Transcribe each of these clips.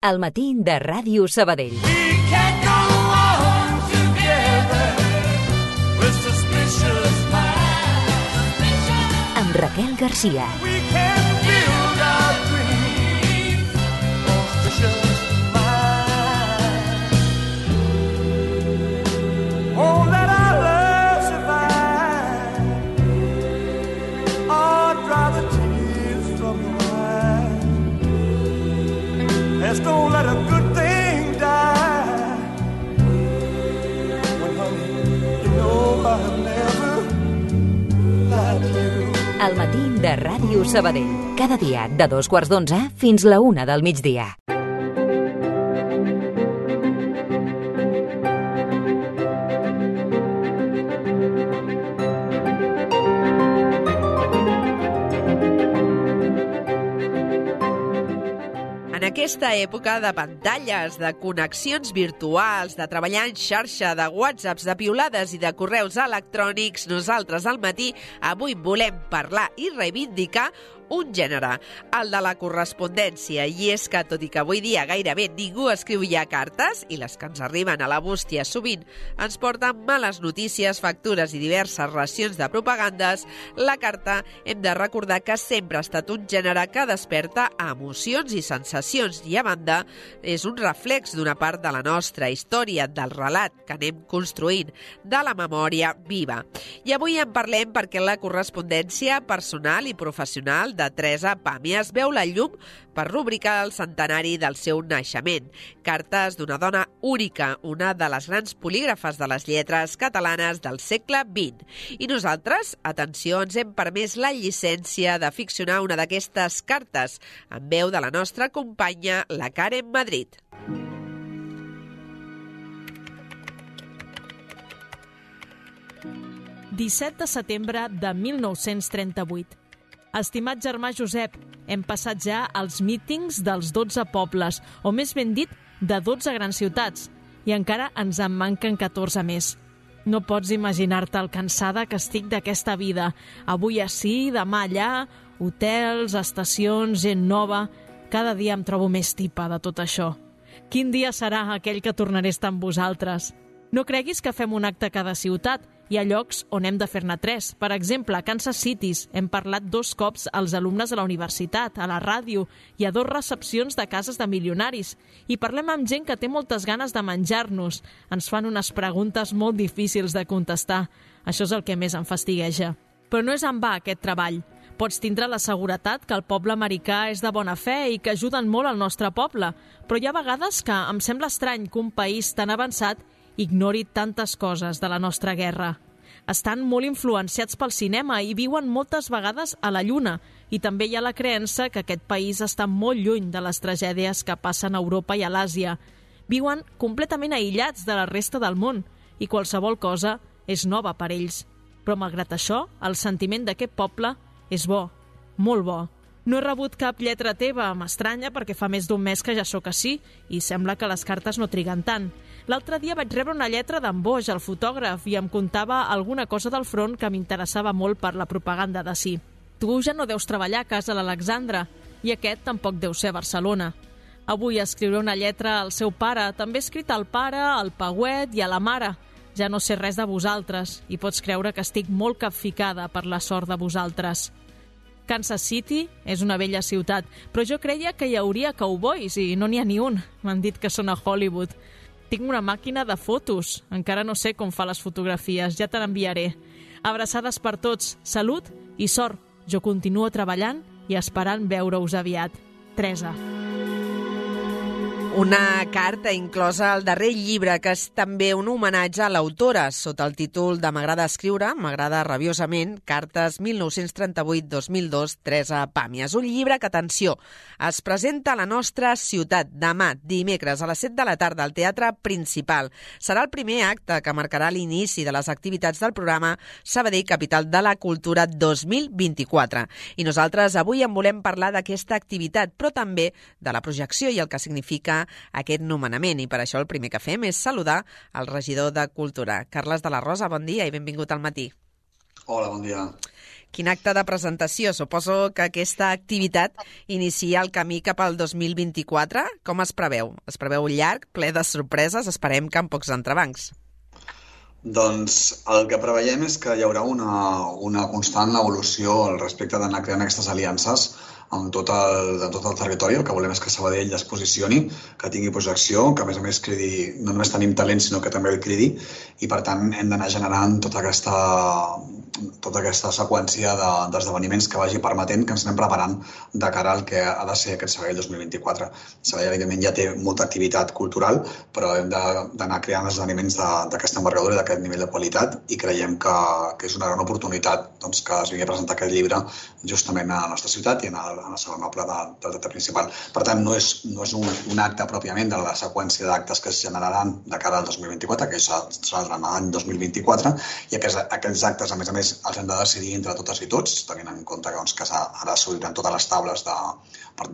Al matí de Ràdio Sabadell. Amb Raquel Garcia. Don't let a good thing die. Well, honey, you know I've never lied to you. Al matí de Ràdio Sabadell. Cada dia de 2:15 fins la 1 del migdia. En aquesta època de pantalles, de connexions virtuals, de treballar en xarxa, de whatsapps, de piulades i de correus electrònics, nosaltres al matí avui volem parlar i reivindicar un gènere, el de la correspondència. I és que, tot i que avui dia gairebé ningú escriu ja cartes, i les que ens arriben a la bústia sovint ens porten males notícies, factures i diverses racions de propagandes, la carta hem de recordar que sempre ha estat un gènere que desperta emocions i sensacions i, a banda, és un reflex d'una part de la nostra història, del relat que anem construint, de la memòria viva. I avui en parlem perquè la correspondència personal i professional de Teresa Pàmies veu la llum per rubricar el centenari del seu naixement. Cartes d'una dona única, una de les grans polígrafes de les lletres catalanes del segle XX. I nosaltres, atenció, ens hem permès la llicència de ficcionar una d'aquestes cartes, en veu de la nostra companya, la Karen Madrid. «17 de setembre de 1938. Estimat germà Josep, hem passat ja els mítings dels 12 pobles, o més ben dit, de 12 grans ciutats, i encara ens en manquen 14 més. No pots imaginar-te el cansada que estic d'aquesta vida. Avui ací, demà allà, hotels, estacions, gent nova... Cada dia em trobo més tipa de tot això. Quin dia serà aquell que tornaré a estar amb vosaltres? No creguis que fem un acte a cada ciutat. Hi ha llocs on hem de fer-ne 3. Per exemple, a Kansas City hem parlat 2 cops als alumnes de la universitat, a la ràdio i a 2 recepcions de cases de milionaris. I parlem amb gent que té moltes ganes de menjar-nos. Ens fan unes preguntes molt difícils de contestar. Això és el que més em fastigueja. Però no és en va aquest treball. Pots tindre la seguretat que el poble americà és de bona fe i que ajuden molt al nostre poble, però hi ha vegades que em sembla estrany que un país tan avançat ignori tantes coses de la nostra guerra. Estan molt influenciats pel cinema i viuen moltes vegades a la Lluna, i també hi ha la creença que aquest país està molt lluny de les tragèdies que passen a Europa i a l'Àsia. Viuen completament aïllats de la resta del món i qualsevol cosa és nova per ells. Però malgrat això, el sentiment d'aquest poble és bo, molt bo. No he rebut cap lletra teva, m'estranya perquè fa més d'un mes que ja sóc ací i sembla que les cartes no triguen tant. L'altre dia vaig rebre una lletra d'en Boix, el fotògraf, i em contava alguna cosa del front que m'interessava molt per la propaganda d'ací. Tu ja no deus treballar a casa l'Alexandra i aquest tampoc deu ser a Barcelona. Avui escriuré una lletra al seu pare, també he escrit al pare, al Pauet i a la mare. Ja no sé res de vosaltres i pots creure que estic molt capficada per la sort de vosaltres. Kansas City és una bella ciutat, però jo creia que hi hauria cowboys i no n'hi ha ni un. M'han dit que són a Hollywood. Tinc una màquina de fotos. Encara no sé com fa les fotografies, ja te n'enviaré. Abraçades per tots, salut i sort. Jo continuo treballant i esperant veure-us aviat. Teresa. Una carta inclosa al darrer llibre, que és també un homenatge a l'autora, sota el títol de M'agrada escriure, m'agrada rabiosament, cartes 1938-2002, Teresa Pàmies. Un llibre que, atenció, es presenta a la nostra ciutat demà, dimecres, a les 7 de la tarda, al Teatre Principal. Serà el primer acte que marcarà l'inici de les activitats del programa Sabadell Capital de la Cultura 2024. I nosaltres avui en volem parlar d'aquesta activitat, però també de la projecció i el que significa aquest nomenament, i per això el primer que fem és saludar el regidor de Cultura. Carles de la Rosa, bon dia i benvingut al matí. Hola, bon dia. Quin acte de presentació. Suposo que aquesta activitat inicia el camí cap al 2024. Com es preveu? Es preveu llarg, ple de sorpreses, esperem que amb pocs entrebancs. Doncs el que preveiem és que hi haurà una constant evolució al respecte d'anar creant aquestes aliances en tot el territori. El que volem és que Sabadell es posicioni, que tingui projecció, que a més cridi, no només tenim talent, sinó que també el cridi, i per tant hem d'anar generant tota aquesta seqüència d'esdeveniments que vagi permetent que ens anem preparant de cara al que ha de ser aquest Sabadell 2024. Sabadell, evidentment, ja té molta activitat cultural, però hem d'anar creant esdeveniments d'aquesta envergadura i d'aquest nivell de qualitat, i creiem que és una gran oportunitat doncs, que es vingui a presentar aquest llibre justament a la nostra ciutat i a la segon noble del teatre principal. Per tant, no és un acte pròpiament de la seqüència d'actes que es generaran de cara al 2024, que serà durant l'any 2024, i aquests actes, a més, els hem de decidir entre totes i tots, tenint en compte que ara s'obriran totes les taules de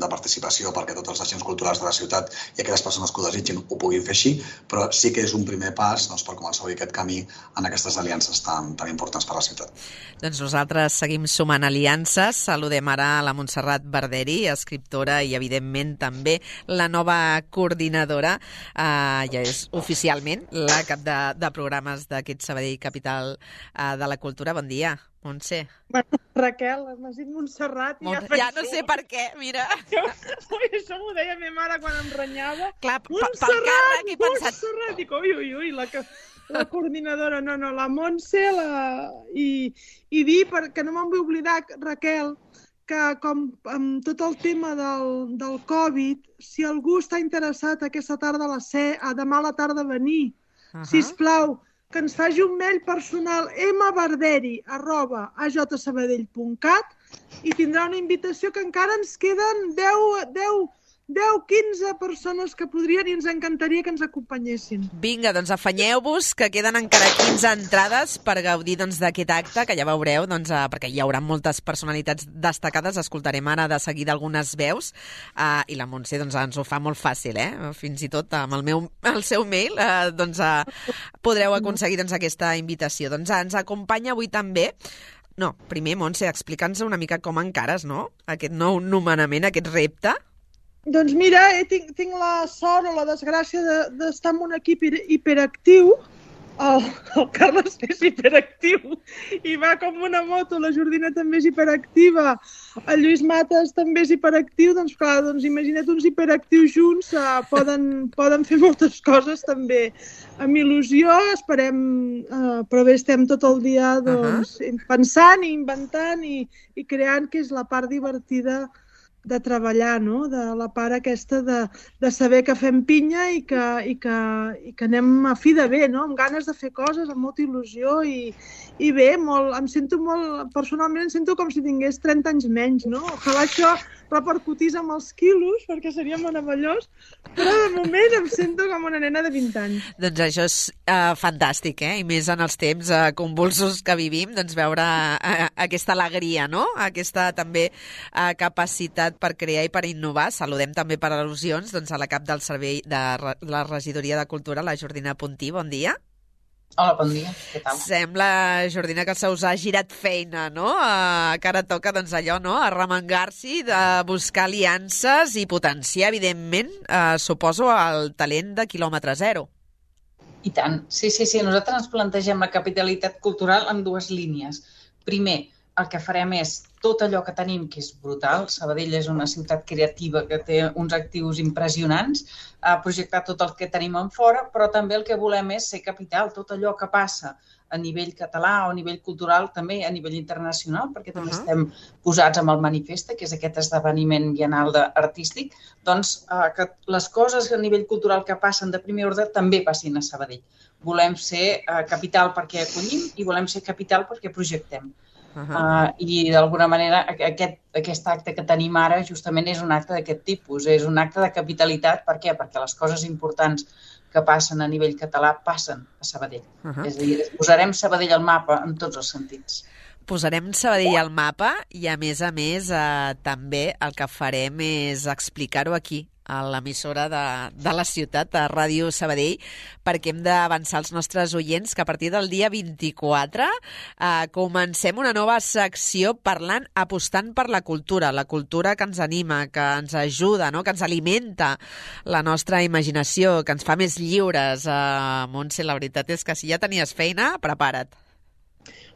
participació perquè tots els agents culturals de la ciutat i aquelles persones que ho desitgin ho puguin fer així, però sí que és un primer pas per començar a obrir aquest camí en aquestes aliances tan importants per a la ciutat. Doncs nosaltres seguim sumant aliances. Saludem ara a la Montserrat Barderi, escriptora i, evidentment, també la nova coordinadora. Ja és oficialment la cap de programes d'aquest Sabadell Capital de la Cultura. Bon dia, Montse. Bueno, Raquel, m'has dit Montserrat i ja no sé per què, mira. Això m'ho deia ma mare quan em renyava. Clar, pel càrrec he pensat... Montserrat! Dic, ui, la coordinadora, no, la Montse, i dir, perquè no me'n vull oblidar, Raquel, que com amb tot el tema del Covid, si algú està interessat aquesta tarda demà a la tarda a venir, sisplau, que ens faci un mail personal mbarderi@ajsabadell.cat i tindrà una invitació que encara ens queden 10-15 persones que podrien i ens encantaria que ens acompanyessin. Vinga, doncs afanyeu-vos, que queden encara 15 entrades per gaudir d'aquest acte, que ja veureu, perquè hi haurà moltes personalitats destacades. Escoltarem ara de seguida algunes veus, i la Montse ens ho fa molt fàcil, fins i tot amb el seu mail podreu aconseguir aquesta invitació. Ens acompanya avui també... No, primer, Montse, explica'ns una mica com encares, no?, aquest nou nomenament, aquest repte. Doncs mira, tinc la sort o la desgràcia d'estar en un equip hiperactiu. El Carles és hiperactiu i va com una moto, la Jordina també és hiperactiva, el Lluís Mates també és hiperactiu, doncs clar, imagina't uns hiperactius junts, poden fer moltes coses també. Amb il·lusió, esperem, però bé, estem tot el dia pensant i inventant i creant, que és la part divertida de treballar, no? De la part aquesta de saber que fem pinya i que anem a fi de bé, no? Amb ganes de fer coses, amb molta il·lusió i bé, em sento molt, personalment em sento com si tingués 30 anys menys, no? Ojalà això repercutís amb els quilos, perquè seria meravellós, però de moment em sento com una nena de 20 anys. Doncs això és fantàstic, i més en els temps convulsos que vivim, veure aquesta alegria, no? Aquesta també capacitat per crear i per innovar. Saludem també per al·lusions a la cap del servei de la Regidoria de Cultura, la Jordina Puntí. Bon dia. Hola, bon dia. Què tal? Sembla, Jordina, que se us ha girat feina, no? Que ara toca, allò, no?, arremangar-s'hi, de buscar aliances i potenciar, evidentment, suposo, el talent de quilòmetre zero. I tant. Sí. Nosaltres ens plantegem la capitalitat cultural en dues línies. Primer, el que farem és tot allò que tenim, que és brutal. Sabadell és una ciutat creativa que té uns actius impressionants, projectar tot el que tenim en fora, però també el que volem és ser capital, tot allò que passa a nivell català o a nivell cultural, també a nivell internacional, perquè també estem posats amb el Manifesta, que és aquest esdeveniment biennal artístic, doncs que les coses a nivell cultural que passen de primer ordre també passin a Sabadell. Volem ser capital perquè acollim i volem ser capital perquè projectem. I d'alguna manera aquest acte que tenim ara justament és un acte d'aquest tipus, és un acte de capitalitat. Per què? Perquè les coses importants que passen a nivell català passen a Sabadell. És a dir, posarem Sabadell al mapa en tots els sentits. Posarem Sabadell al mapa i, a més, també el que farem és explicar-ho aquí, a l'emissora de la ciutat, a Ràdio Sabadell, perquè hem d'avançar als nostres oients que a partir del dia 24 comencem una nova secció apostant per la cultura que ens anima, que ens ajuda, no? Que ens alimenta la nostra imaginació, que ens fa més lliures. Montse, la veritat és que si ja tenies feina, prepara't.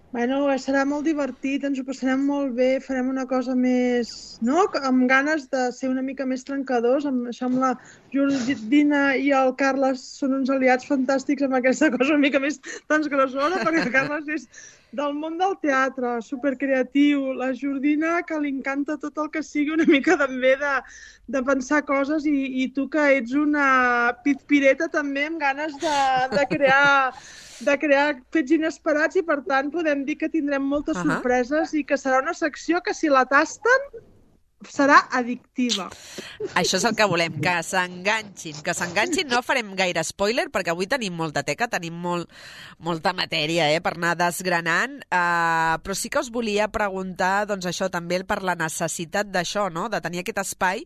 Bueno, serà molt divertit, ens ho passarem molt bé, farem una cosa més, no? Amb ganes de ser una mica més trencadors, amb la Jordina i el Carles són uns aliats fantàstics amb aquesta cosa una mica més transgressora, perquè el Carles és del món del teatre, supercreatiu, la Jordina que li encanta tot el que sigui una mica també de pensar coses i tu que ets una pitpireta també amb ganes de crear fets inesperats i, per tant, podem dir que tindrem moltes sorpreses i que serà una secció que, si la tasten, serà addictiva. Això és el que volem, que s'enganxin. No farem gaire spoiler, perquè avui tenim molta teca, tenim molta matèria per anar desgranant, però sí que us volia preguntar, doncs això, també per la necessitat d'això, no? De tenir aquest espai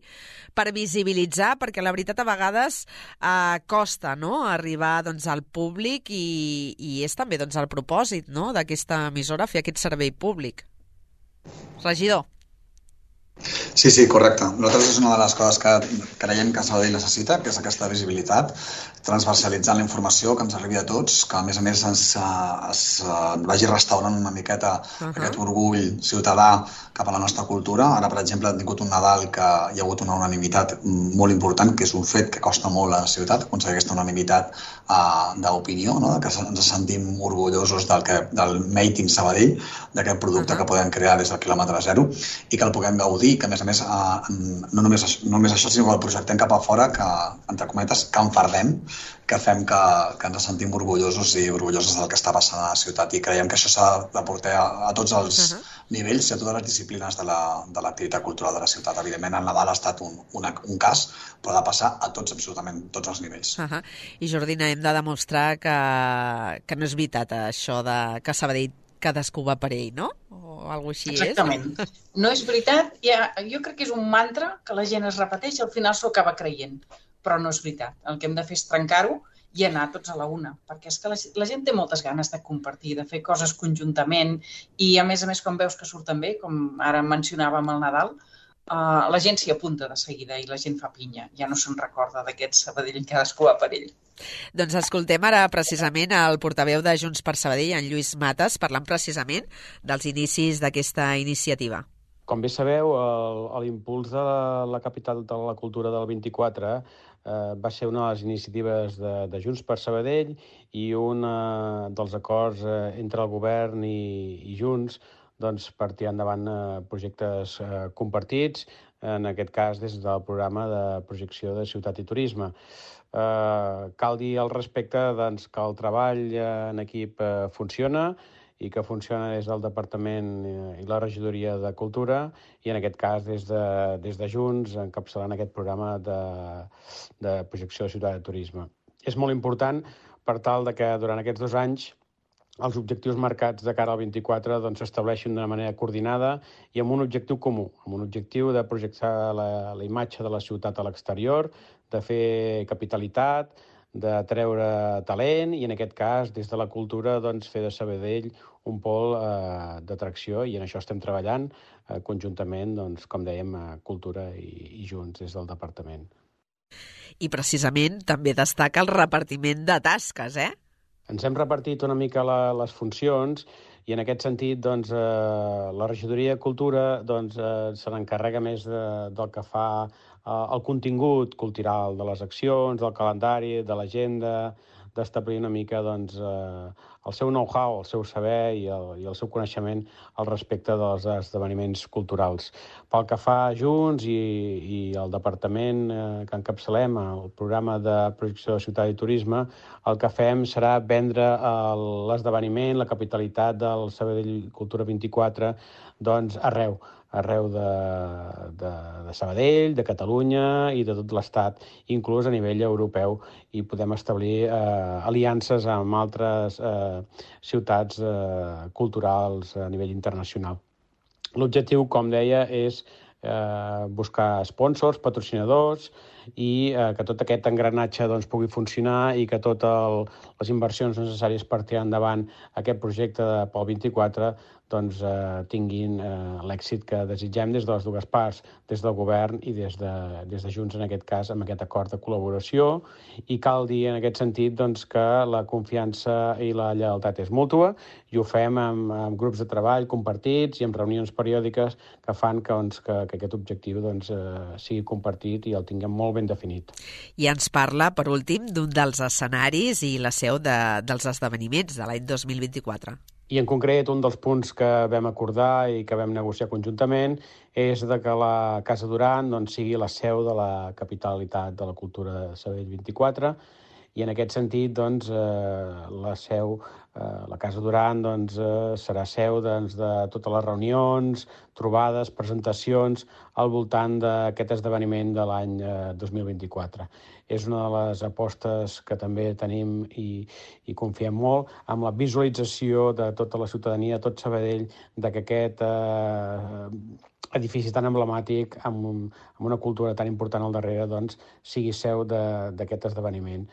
per visibilitzar, perquè la veritat a vegades costa, no?, arribar doncs, al públic i és també doncs, el propòsit, no?, d'aquesta emissora, fer aquest servei públic. Regidor. Sí, correcte. Nosaltres és una de les coses que creiem que Sabadell necessita, que és aquesta visibilitat, transversalitzant la informació, que ens arribi a tots, que a més es vagi restaurant una miqueta aquest orgull ciutadà cap a la nostra cultura. Ara, per exemple, hem tingut un Nadal que hi ha hagut una unanimitat molt important, que és un fet que costa molt a la ciutat, aconseguir aquesta unanimitat d'opinió, no? Que ens sentim orgullosos del Made in Sabadell, d'aquest producte que podem crear des del quilòmetre zero i que el puguem gaudir, que a més no només això, sinó que el projectem cap a fora, que, entre cometes, que enfardem, que fem que ens sentim orgullosos i orgulloses del que està passant a la ciutat, i creiem que això s'ha de portar a tots els nivells i a totes les disciplines de l'activitat cultural de la ciutat. Evidentment, el Nadal ha estat un cas, però ha de passar a tots, absolutament tots els nivells. I Jordina, hem de demostrar que no és veritat això de que Sabadell cadascú va per ell, no? O alguna cosa així és? Exactament. No és veritat. Jo crec que és un mantra que la gent es repeteix i al final s'ho acaba creient. Però no és veritat. El que hem de fer és trencar-ho i anar tots a la una. Perquè és que la gent té moltes ganes de compartir, de fer coses conjuntament i, a més, quan veus que surten bé, com ara mencionàvem el Nadal, la gent s'hi apunta de seguida i la gent fa pinya. Ja no se'n recorda d'aquest Sabadell, cadascú va per ell. Doncs escoltem ara precisament el portaveu de Junts per Sabadell, en Lluís Matas, parlant precisament dels inicis d'aquesta iniciativa. Com bé sabeu, l'impuls de la capital de la cultura del 24 va ser una de les iniciatives de Junts per Sabadell i un dels acords entre el govern i Junts per tirar endavant projectes compartits, en aquest cas des del programa de projecció de ciutat i turisme. Cal dir al respecte que el treball en equip funciona i que funciona des del Departament i la Regidoria de Cultura i, en aquest cas, des de Junts, encapçalant aquest programa de projecció de ciutat i turisme. És molt important per tal que durant aquests 2 anys els objectius marcats de cara al 24 s'estableixin d'una manera coordinada i amb un objectiu comú, amb un objectiu de projectar la imatge de la ciutat a l'exterior, de fer capitalitat, de treure talent i, en aquest cas, des de la cultura, fer de Sabadell un pol d'atracció, i en això estem treballant conjuntament, com dèiem, Cultura i Junts des del departament. I precisament també destaca el repartiment de tasques, Ens hem repartit una mica les funcions i, en aquest sentit, la Regidoria de Cultura se n'encarrega més del que fa el contingut cultural de les accions, del calendari, de l'agenda, d'establir una mica el seu know-how, el seu saber i el seu coneixement al respecte dels esdeveniments culturals. Pel que fa a Junts i el departament que encapçalem, el programa de projecció de ciutat i turisme, el que fem serà vendre l'esdeveniment, la capitalitat del Sabadell Cultura 24, arreu de Sabadell, de Catalunya i de tot l'Estat, inclús a nivell europeu, i podem establir aliances amb altres ciutats culturals a nivell internacional. L'objectiu, com deia, és buscar sponsors, patrocinadors i que tot aquest engranatge doncs, pugui funcionar i que totes les inversions necessàries per tirar endavant aquest projecte pel 24 doncs, tinguin l'èxit que desitgem des de les dues parts, des del govern i des de Junts, en aquest cas, amb aquest acord de col·laboració. I cal dir, en aquest sentit, doncs, que la confiança i la lleialtat és mútua i ho fem amb grups de treball compartits i amb reunions periòdiques que fan que aquest objectiu doncs, sigui compartit i el tinguem molt ben definit. I ens parla, per últim, d'un dels escenaris i la seu dels esdeveniments de l'any 2024. I en concret, un dels punts que vam acordar i que vam negociar conjuntament és de que la Casa Duran doncs, sigui la seu de la capitalitat de la cultura de Sabadell 24 i en aquest sentit doncs, la Casa Duran doncs, serà seu doncs, de totes les reunions, trobades, presentacions al voltant d'aquest esdeveniment de l'any 2024. És una de les apostes que també tenim i confiem molt amb la visualització de tota la ciutadania, tot Sabadell, que aquest edifici tan emblemàtic, amb una cultura tan important al darrere, doncs, sigui seu d'aquest esdeveniment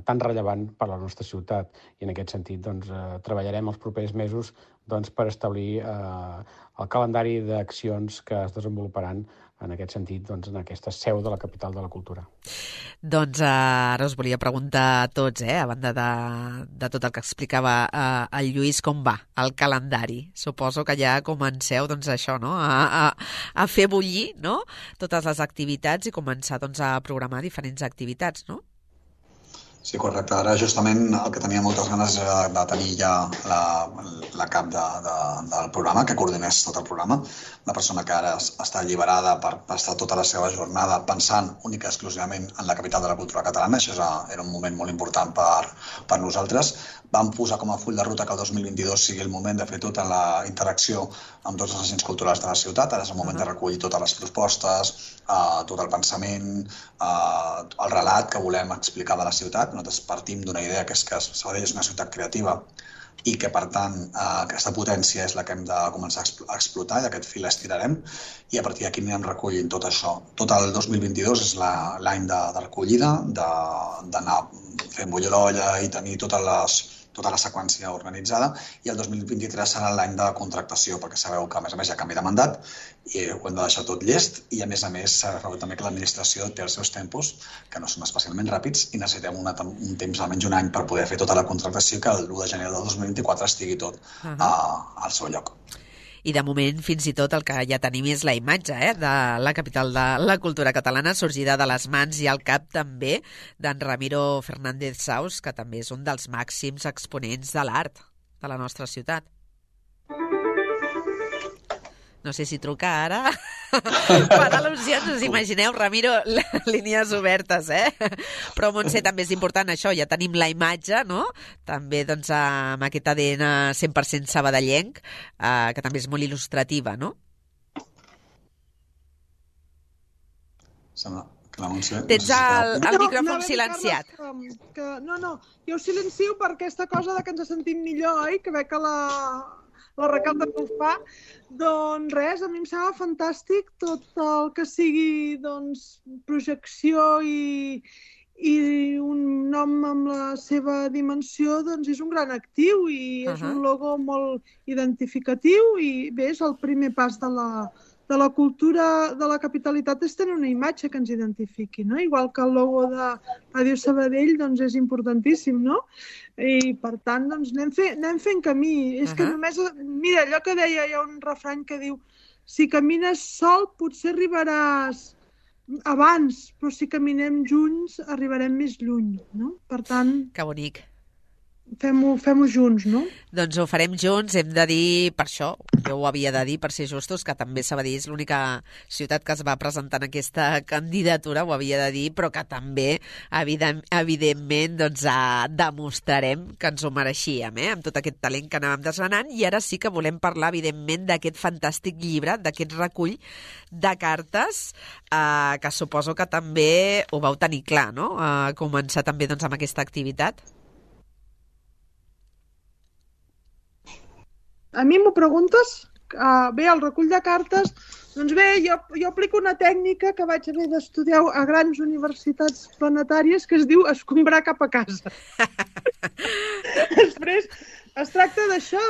tan rellevant per a la nostra ciutat. I en aquest sentit doncs, treballarem els propers mesos doncs, per establir el calendari d'accions que es desenvoluparan en aquest sentit, doncs, en aquesta seu de la capital de la cultura. Doncs ara us volia preguntar a tots, a banda de tot el que explicava el Lluís, com va el calendari? Suposo que ja comenceu doncs, això, no? a fer bullir, no? Totes les activitats i començar doncs, a programar diferents activitats, no? Sí, correcte. Ara justament el que tenia moltes ganes era de tenir ja la cap del programa, que coordinés tot el programa, una persona que ara està alliberada per estar tota la seva jornada pensant única i exclusivament en la capital de la cultura catalana. Això era un moment molt important per nosaltres. Vam posar com a full de ruta que el 2022 sigui el moment de fer tota la interacció amb tots els agents culturals de la ciutat. Ara és el moment de recollir totes les propostes, tot el pensament, el relat que volem explicar de la ciutat. Nosaltres partim d'una idea que és que Sabadell és una ciutat creativa i que, per tant, aquesta potència és la que hem de començar a explotar i aquest fil estirarem i a partir d'aquí anirem recollint tot això. Tot el 2022 és l'any de recollida, d'anar fent bullir l'olla i tenir tota la seqüència organitzada i el 2023 serà l'any de contractació perquè sabeu que a més hi ha canvi de mandat i ho hem de deixar tot llest i a més sabeu també que l'administració té els seus tempos que no són especialment ràpids i necessitem un temps almenys un any per poder fer tota la contractació i que l'1 de gener del 2024 estigui tot al seu lloc. I de moment, fins i tot, el que ja tenim és la imatge de la capital de la cultura catalana, sorgida de les mans i al cap també d'en Ramiro Fernández Saus, que també és un dels màxims exponents de l'art de la nostra ciutat. No sé si truca ara. Per al·lusions, us imagineu, Ramiro, línies obertes, Però Montse, també és important això, ja tenim la imatge, no? També doncs, amb aquest ADN 100% sabadellenc, que també és molt il·lustrativa, no? Sembla que la Montse... Tens el micròfon silenciat. No, jo ho silencio per aquesta cosa de que ens sentim millor, que veig que la Raquel també ho fa. Doncs res, a mi em sembla fantàstic tot el que sigui projecció i un nom amb la seva dimensió doncs és un gran actiu i és un logo molt identificatiu i bé, és el primer pas de la cultura de la capitalitat és tenir una imatge que ens identifiqui, no? Igual que el logo de Ràdio Sabadell doncs és importantíssim, no? I per tant doncs anem fent camí. És que només, mira, allò que deia, hi ha un refrany que diu si camines sol potser arribaràs abans, però si caminem junts arribarem més lluny, no? Per tant... Que bonic. Fem-ho junts, no? Doncs ho farem junts, hem de dir, per això, jo ho havia de dir, per ser justos, que també Sabadell és l'única ciutat que es va presentar en aquesta candidatura, ho havia de dir, però que també, evidentment, doncs demostrarem que ens ho mereixíem, amb tot aquest talent que anàvem desgranant, i ara sí que volem parlar, evidentment, d'aquest fantàstic llibre, d'aquest recull de cartes, que suposo que també ho vau tenir clar, no? Començar també doncs, amb aquesta activitat. A mi m'ho preguntes? Bé, el recull de cartes, doncs bé, jo aplico una tècnica que vaig haver d'estudiar a grans universitats planetàries que es diu escombrar cap a casa. Després, es tracta d'això,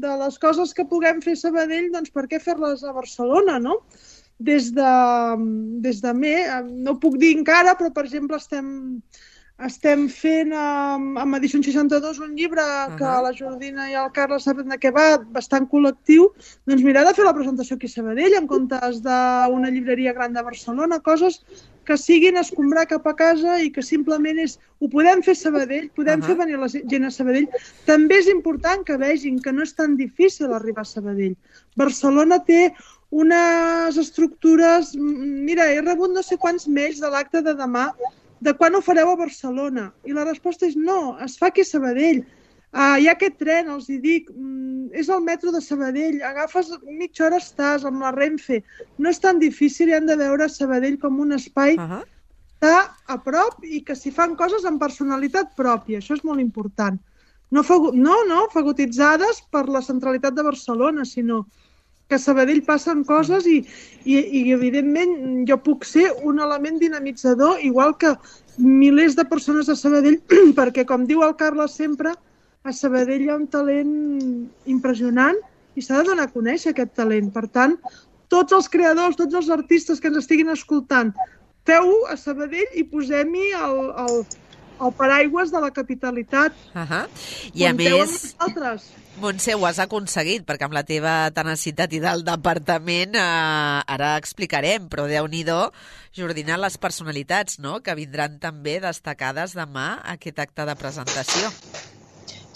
de les coses que puguem fer a Sabadell, doncs per què fer-les a Barcelona, no? Des de no ho puc dir encara, però per exemple estem fent amb Edició 62 un llibre que la Jordina i el Carles saben de què va, bastant col·lectiu, doncs mirar de fer la presentació aquí a Sabadell en comptes d'una llibreria gran de Barcelona, coses que siguin escombrar cap a casa i que simplement ho podem fer a Sabadell, podem fer venir la gent a Sabadell. També és important que vegin que no és tan difícil arribar a Sabadell. Barcelona té unes estructures... Mira, he rebut no sé quants mails de l'acte de demà de quan ho fareu a Barcelona. I la resposta és no, es fa aquí a Sabadell. Hi ha aquest tren, els hi dic, és el metro de Sabadell, agafes mitja hora estàs amb la Renfe. No és tan difícil i han de veure Sabadell com un espai que està a prop i que s'hi fan coses amb personalitat pròpia. Això és molt important. No fagotitzades per la centralitat de Barcelona, sinó que a Sabadell passen coses i evidentment jo puc ser un element dinamitzador igual que milers de persones a Sabadell perquè com diu el Carles sempre a Sabadell hi ha un talent impressionant i s'ha de donar a conèixer aquest talent. Per tant, tots els creadors, tots els artistes que ens estiguin escoltant, feu-ho a Sabadell i posem-hi el paraigües de la capitalitat. I a més... Montse, ho has aconseguit, perquè amb la teva tenacitat i del departament ara explicarem, però Déu-n'hi-do, Jordina, les personalitats, no?, que vindran també destacades demà a aquest acte de presentació.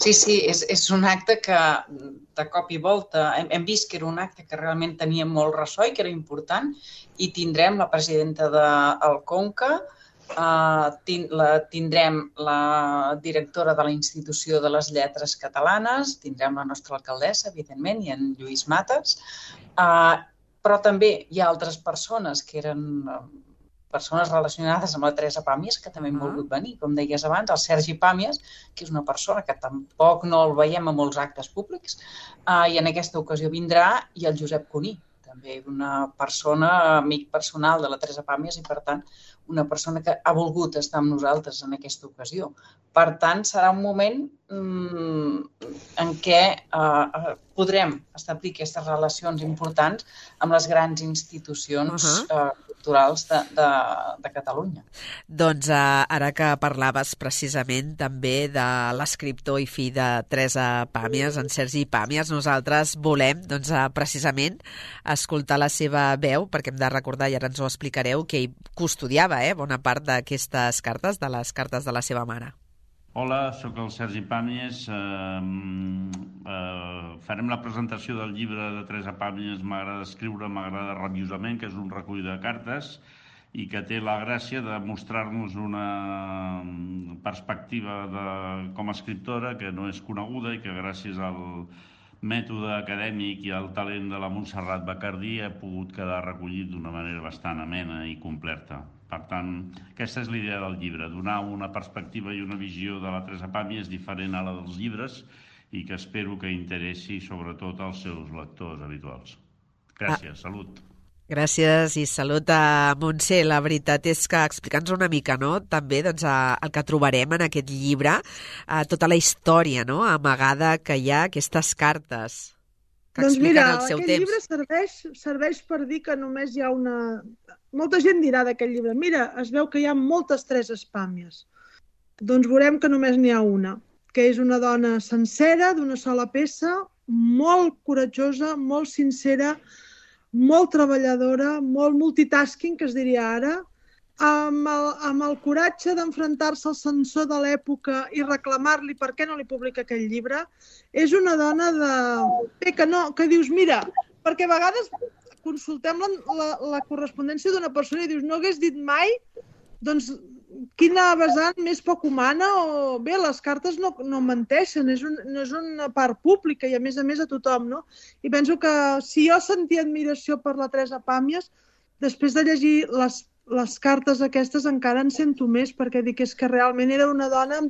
Sí, és un acte que de cop i volta hem vist que era un acte que realment tenia molt ressò i que era important i tindrem la presidenta del Conca, tindrem la directora de la Institució de les Lletres Catalanes, tindrem la nostra alcaldessa, evidentment, i en Lluís Mates, però també hi ha altres persones que eren persones relacionades amb la Teresa Pàmies, que també han volgut venir, com deies abans, el Sergi Pàmies, que és una persona que tampoc no el veiem a molts actes públics, i en aquesta ocasió vindrà, i el Josep Cuní, també una persona, amic personal de la Teresa Pàmies i, per tant, una persona que ha volgut estar amb nosaltres en aquesta ocasió. Per tant, serà un moment en què podrem establir aquestes relacions importants amb les grans institucions culturals de Catalunya. Doncs ara que parlaves precisament també de l'escriptor i fill de Teresa Pàmies, en Sergi Pàmies, nosaltres volem precisament escoltar la seva veu, perquè hem de recordar, i ara ens ho explicareu, que ell custodiava bona part d'aquestes cartes, de les cartes de la seva mare. Hola, sóc el Sergi Pàmies. Farem la presentació del llibre de Teresa Pàmies, M'agrada escriure, m'agrada rabiosament, que és un recull de cartes i que té la gràcia de mostrar-nos una perspectiva com a escriptora que no és coneguda i que gràcies al mètode acadèmic i al talent de la Montserrat Bacardí ha pogut quedar recollit d'una manera bastant amena i completa. Per tant, aquesta és l'idea del llibre, donar una perspectiva i una visió de la Teresa Pàmies diferent a la dels llibres i que espero que interessi sobretot als seus lectors habituals. Gràcies, salut. Gràcies i salut a Montse. La veritat és que explica'ns una mica, no?, també el que trobarem en aquest llibre, tota la història, no?, amagada que hi ha, aquestes cartes que expliquen el seu temps. Doncs mira, aquest llibre serveix per dir que només hi ha una... Molta gent dirà d'aquest llibre, mira, es veu que hi ha moltes Tereses Pàmies. Doncs veurem que només n'hi ha una, que és una dona sencera, d'una sola peça, molt coratjosa, molt sincera, molt treballadora, molt multitasking, que es diria ara, amb el coratge d'enfrontar-se al censor de l'època i reclamar-li per què no li publica aquell llibre. És una dona que dius, mira, perquè a vegades consultem la correspondència d'una persona i dius, no hagués dit mai, doncs quina vessant més poc humana, o bé, les cartes no menteixen, no és una part pública i a més a tothom, no? I penso que si jo sentia admiració per la Teresa Pàmies, després de llegir les cartes aquestes encara en sento més, perquè dic que realment era una dona,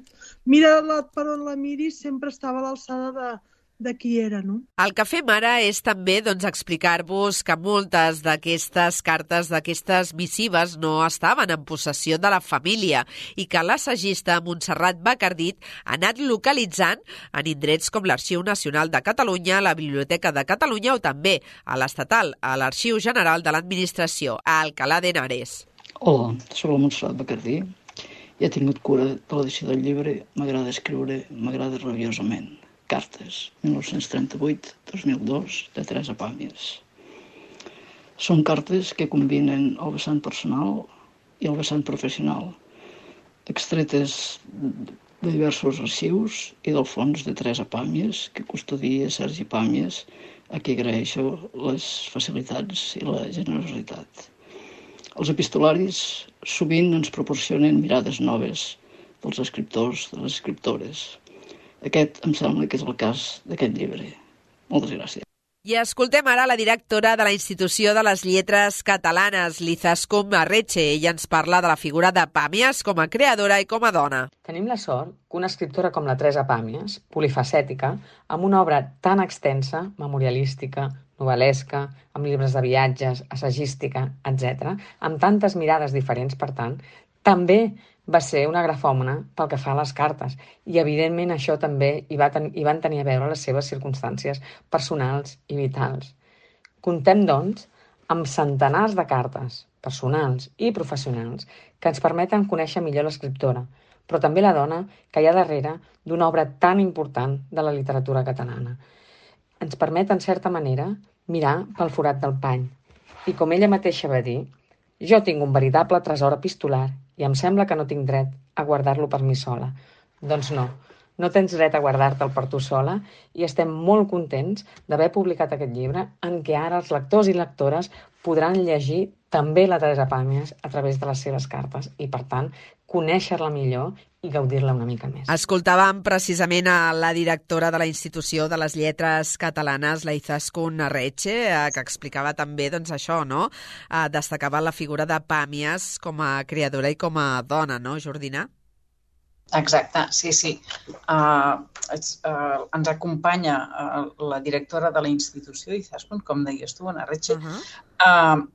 mira per on la miris, sempre estava a l'alçada de qui era, no? El que fem ara és també explicar-vos que moltes d'aquestes cartes, d'aquestes missives, no estaven en possessió de la família i que l'assagista Montserrat Bacardit ha anat localitzant en indrets com l'Arxiu Nacional de Catalunya, la Biblioteca de Catalunya o també a l'Estatal, a l'Arxiu General de l'Administració, a Alcalá de Henares. Hola, soc la Montserrat Bacardí i he tingut cura de l'edició del llibre. M'agrada escriure, m'agrada rabiosament. Cartes, 1938-2002, de Teresa Pàmies. Són cartes que combinen el vessant personal i el vessant professional, extretes de diversos arxius i del fons de Teresa Pàmies, que custodia Sergi Pàmies, a qui agraeixo les facilitats i la generositat. Els epistolaris sovint ens proporcionen mirades noves dels escriptors, de les escriptores. Aquest em sembla que és el cas d'aquest llibre. Moltes gràcies. I escoltem ara la directora de la Institució de les Lletres Catalanes, l'Izaskun Arretxe. Ella ens parla de la figura de Pàmies com a creadora i com a dona. Tenim la sort que una escriptora com la Teresa Pàmies, polifacètica, amb una obra tan extensa, memorialística, novel·lesca, amb llibres de viatges, assagística, etc., amb tantes mirades diferents, per tant, també va ser una grafòmana pel que fa a les cartes i, evidentment, això també hi van tenir a veure les seves circumstàncies personals i vitals. Comptem, doncs, amb centenars de cartes personals i professionals que ens permeten conèixer millor l'escriptora, però també la dona que hi ha darrere d'una obra tan important de la literatura catalana. Ens permet, en certa manera, mirar pel forat del pany. I com ella mateixa va dir, jo tinc un veritable tresor epistolar i em sembla que no tinc dret a guardar-lo per mi sola. Doncs no tens dret a guardar-te'l per tu sola i estem molt contents d'haver publicat aquest llibre en què ara els lectors i lectores podran llegir també la Teresa Pàmies a través de les seves cartes i, per tant, conèixer-la millor i gaudir-la una mica més. Escoltàvem precisament a la directora de la Institució de les Lletres Catalanes, la Izaskun Arretxe, que explicava també això, no? Destacava la figura de Pàmies com a creadora i com a dona, no, Jordina? Exacte, sí. Ens acompanya la directora de la institució, Izaskun, com deies tu, Anna Arretxe,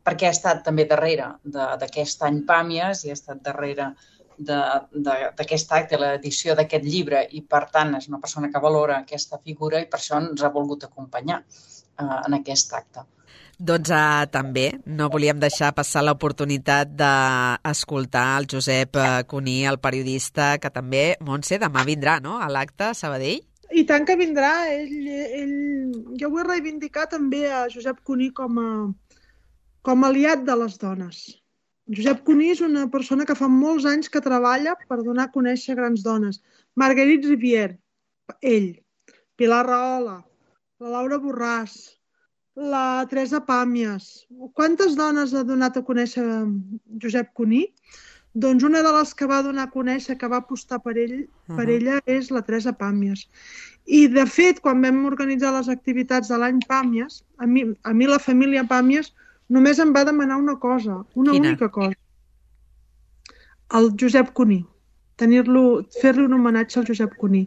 perquè ha estat també darrere d'aquest any Pàmies i ha estat darrere d'aquest acte, l'edició d'aquest llibre, i per tant és una persona que valora aquesta figura i per això ens ha volgut acompanyar en aquest acte. Doncs també no volíem deixar passar l'oportunitat d'escoltar el Josep Cuní, el periodista, que també, Montse, demà vindrà, no?, a l'acte a Sabadell. I tant que vindrà. Jo vull reivindicar també a Josep Cuní com a aliat de les dones. Josep Cuní és una persona que fa molts anys que treballa per donar a conèixer grans dones. Marguerite Rivière, ell, Pilar Rahola, la Laura Borràs, la Teresa Pàmies. Quantes dones ha donat a conèixer Josep Cuní? Doncs una de les que va donar a conèixer, que va apostar per ella, és la Teresa Pàmies. I, de fet, quan vam organitzar les activitats de l'any Pàmies, a mi la família Pàmies només em va demanar una cosa, única cosa. El Josep Cuní. Fer-li un homenatge al Josep Cuní,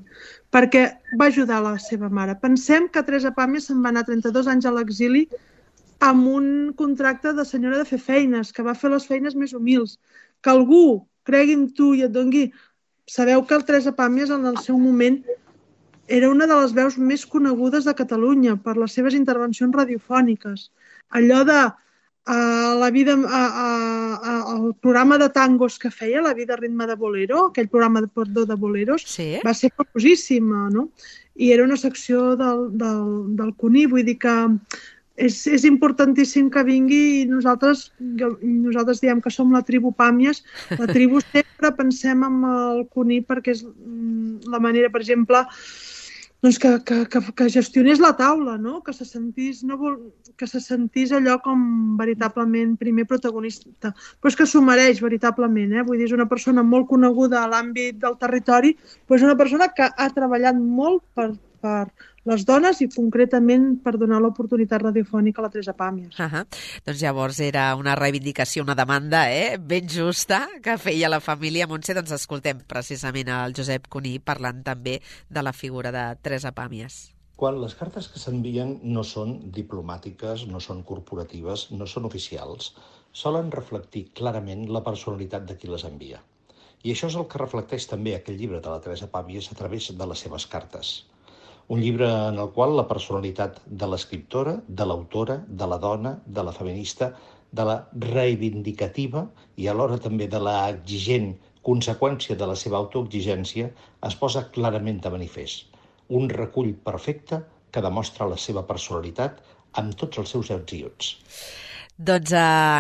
perquè va ajudar la seva mare. Pensem que Teresa Pàmies se'n va anar 32 anys a l'exili amb un contracte de senyora de fer feines, que va fer les feines més humils. Que algú cregui en tu i et doni... Sabeu que el Teresa Pàmies en el seu moment era una de les veus més conegudes de Catalunya per les seves intervencions radiofòniques. Allò de el programa de tangos que feia, La vida ritme de bolero, aquell programa de boleros, va ser famosíssima, no? I era una secció del Cuní, vull dir que és importantíssim que vingui i nosaltres diem que som la tribu Pàmies. La tribu sempre pensem en el Cuní perquè és la manera, per exemple, doncs que gestionés la taula, no? Que se sentís allò com veritablement primer protagonista. Però és que s'ho mereix veritablement, vull dir, és una persona molt coneguda a l'àmbit del territori, però és una persona que ha treballat molt per les dones i concretament per donar l'oportunitat radiofònica a la Teresa Pàmies. Doncs llavors era una reivindicació, una demanda ben justa que feia la família. Montse, doncs escoltem precisament el Josep Cuní parlant també de la figura de Teresa Pàmies. Quan les cartes que s'envien no són diplomàtiques, no són corporatives, no són oficials, solen reflectir clarament la personalitat de qui les envia. I això és el que reflecteix també aquest llibre de la Teresa Pàmies a través de les seves cartes. Un llibre en el qual la personalitat de l'escriptora, de l'autora, de la dona, de la feminista, de la reivindicativa i alhora també de la exigent conseqüència de la seva autoexigència es posa clarament de manifest. Un recull perfecte que demostra la seva personalitat amb tots els seus ets i uts. Doncs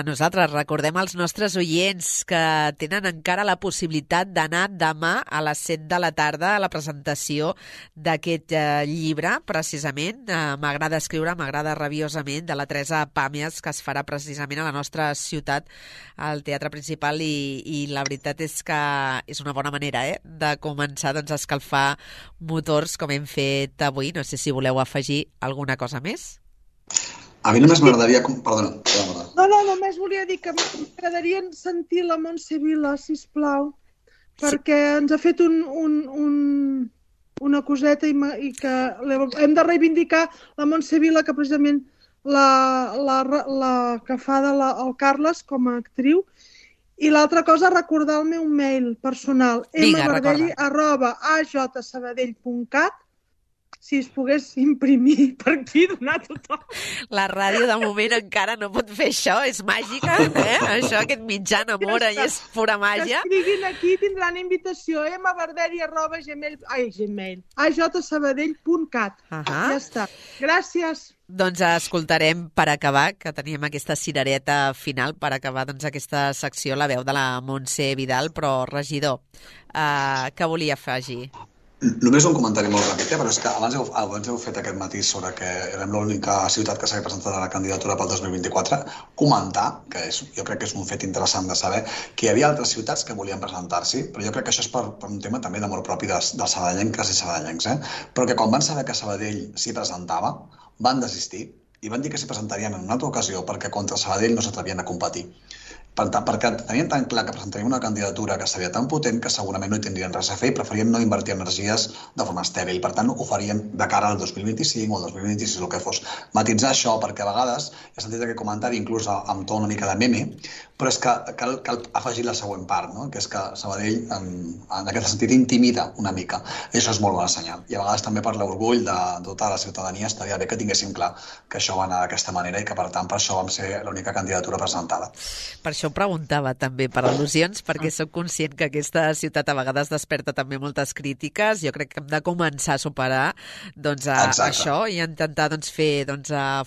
nosaltres recordem als nostres oients que tenen encara la possibilitat d'anar demà a les 7 de la tarda a la presentació d'aquest llibre, precisament, M'agrada escriure, m'agrada rabiosament, de la Teresa Pàmies, que es farà precisament a la nostra ciutat, al Teatre Principal, i la veritat és que és una bona manera de començar a escalfar motors, com hem fet avui. No sé si voleu afegir alguna cosa més. A mi només m'agradaria... Perdona. No, només volia dir que m'agradaria sentir la Montse Vila, sisplau, perquè ens ha fet una coseta i que hem de reivindicar la Montse Vila, que precisament la que fa el Carles com a actriu. I l'altra cosa, recordar el meu mail personal, mbardelli@ajsabadell.cat. Si es pogués imprimir per aquí, donar a tothom. La ràdio, de moment, encara no pot fer això. És màgica, Això, aquest mitjà enamora i és pura màgia. Que escriguin aquí, tindran invitació, ajsabadell.cat. Ja està. Gràcies. Doncs escoltarem, per acabar, que teníem aquesta cirereta final, per acabar aquesta secció, la veu de la Montse Vidal, però, regidor, què volia afegir? Només un comentari molt ràpid, però és que abans heu fet aquest matís sobre que érem l'única ciutat que s'havia presentat a la candidatura pel 2024. Comentar, que jo crec que és un fet interessant de saber, que hi havia altres ciutats que volien presentar-s'hi, però jo crec que això és per un tema també d'amor propi dels sabadellenques i sabadellencs, però que quan van saber que Sabadell s'hi presentava, van desistir i van dir que s'hi presentarien en una altra ocasió perquè contra Sabadell no s'atrevien a competir. Perquè tenien tan clar que presentaríem una candidatura que seria tan potent que segurament no hi tindrien res a fer i preferien no invertir energies de forma estèril. Per tant, ho farien de cara al 2025 o al 2026, el que fos. Matitzar això, perquè a vegades he sentit aquest comentari inclús amb to una mica de meme, però és que cal afegir la següent part, que és que Sabadell, en aquest sentit, intimida una mica. I això és molt bon senyal. I a vegades també per l'orgull de tota la ciutadania estaria bé que tinguéssim clar que això va anar d'aquesta manera i que, per tant, per això vam ser l'única candidatura presentada. Per això ho preguntava també, per al·lusions, perquè soc conscient que aquesta ciutat a vegades desperta també moltes crítiques. Jo crec que hem de començar a superar això i intentar fer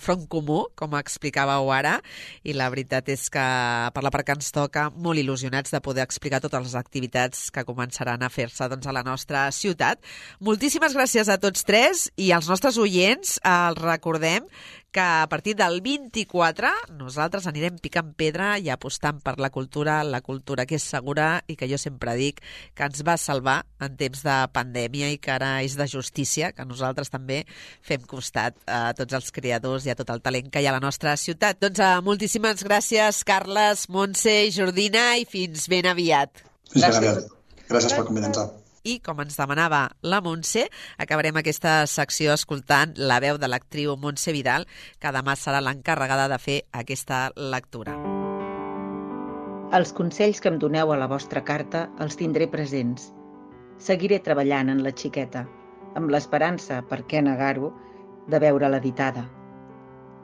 front comú, com explicàveu ara, i la veritat és que per la part que ens toca, molt il·lusionats de poder explicar totes les activitats que començaran a fer-se a la nostra ciutat. Moltíssimes gràcies a tots tres i als nostres oients. Els recordem que a partir del 24 nosaltres anirem picant pedra i apostant per la cultura que és segura i que jo sempre dic que ens va salvar en temps de pandèmia i que ara és de justícia, que nosaltres també fem costat a tots els creadors i a tot el talent que hi ha a la nostra ciutat. Doncs moltíssimes gràcies, Carles, Montse i Jordina, i fins ben aviat. Fins ben aviat. Gràcies per convidar-nos. I, com ens demanava la Montse, acabarem aquesta secció escoltant la veu de l'actriu Montse Vidal, que demà serà l'encarregada de fer aquesta lectura. Els consells que em doneu a la vostra carta els tindré presents. Seguiré treballant en la xiqueta, amb l'esperança, per què negar-ho, de veure-la editada.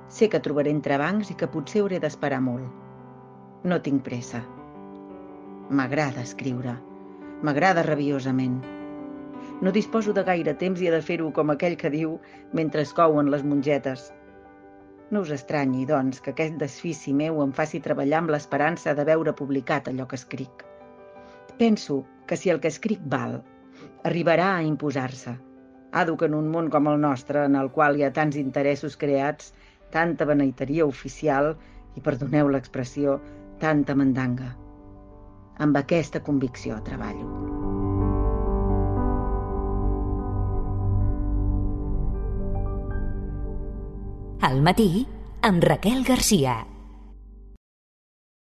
Sé que trobaré entrebancs i que potser hauré d'esperar molt. No tinc pressa. M'agrada escriure. M'agrada rabiosament. No disposo de gaire temps i he de fer-ho com aquell que diu mentre es couen les mongetes. No us estranyi, doncs, que aquest desfici meu em faci treballar amb l'esperança de veure publicat allò que escric. Penso que si el que escric val, arribarà a imposar-se. Ado que en un món com el nostre, en el qual hi ha tants interessos creats, tanta beneiteria oficial i, perdoneu l'expressió, tanta mandanga. Amb aquesta convicció treballo. Al matí, amb Raquel Garcia.